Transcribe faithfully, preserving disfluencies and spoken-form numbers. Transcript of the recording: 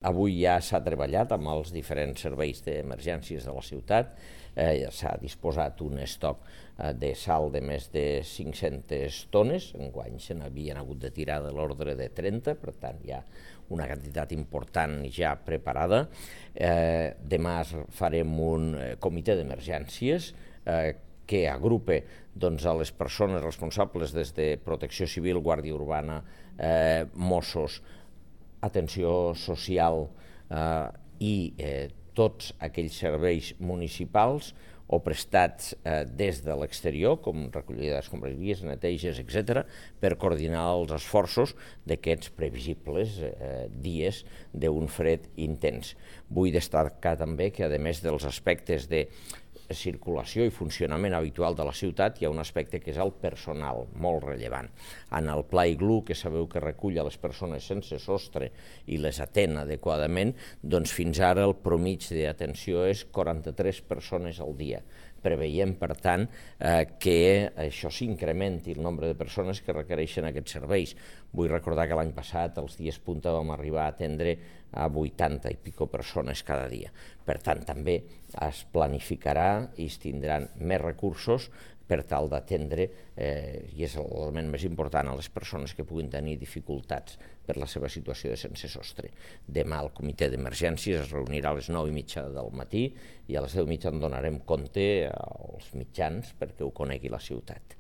Avui ja s'ha treballat amb els diferents serveis d'emergències de la ciutat, eh, s'ha disposat un estoc eh, de sal de més de cinc-centes tones, enguany se n'havien hagut de tirar de l'ordre de trenta, per tant hi ha una quantitat important ja preparada. Eh, demà farem un comitè d'emergències eh, que agrupa doncs, a les persones responsables des de Protecció Civil, Guàrdia Urbana, eh, Mossos, atenció social eh, i eh, tots aquells serveis municipals o prestats eh, des de l'exterior, com recollida d'escombraries, neteges, etcètera, per coordinar els esforços d'aquests previsibles eh, dies d'un fred intens. Vull destacar també que, a més dels aspectes de circulació i funcionament habitual de la ciutat, hi ha un aspecte que és el personal, molt rellevant. En el Pla Iglú, que sabeu que recull a les persones sense sostre i les atén adequadament, doncs fins ara el promig d'atenció és quaranta-tres persones al dia. Preveiem, per tant, eh, que això s'incrementi el nombre de persones que requereixen aquests serveis. Vull recordar que l'any passat, als dies punta, vam arribar a atendre a vuitanta i pico persones cada dia. Per tant, també es planificarà i es tindran més recursos per tal d'atendre, eh, i és l'element més important, a les persones que puguin tenir dificultats per la seva situació de sense sostre. Demà el comitè d'emergències es reunirà a les nou i mitja del matí i a les deu i mitja en donarem compte als mitjans perquè ho conegui la ciutat.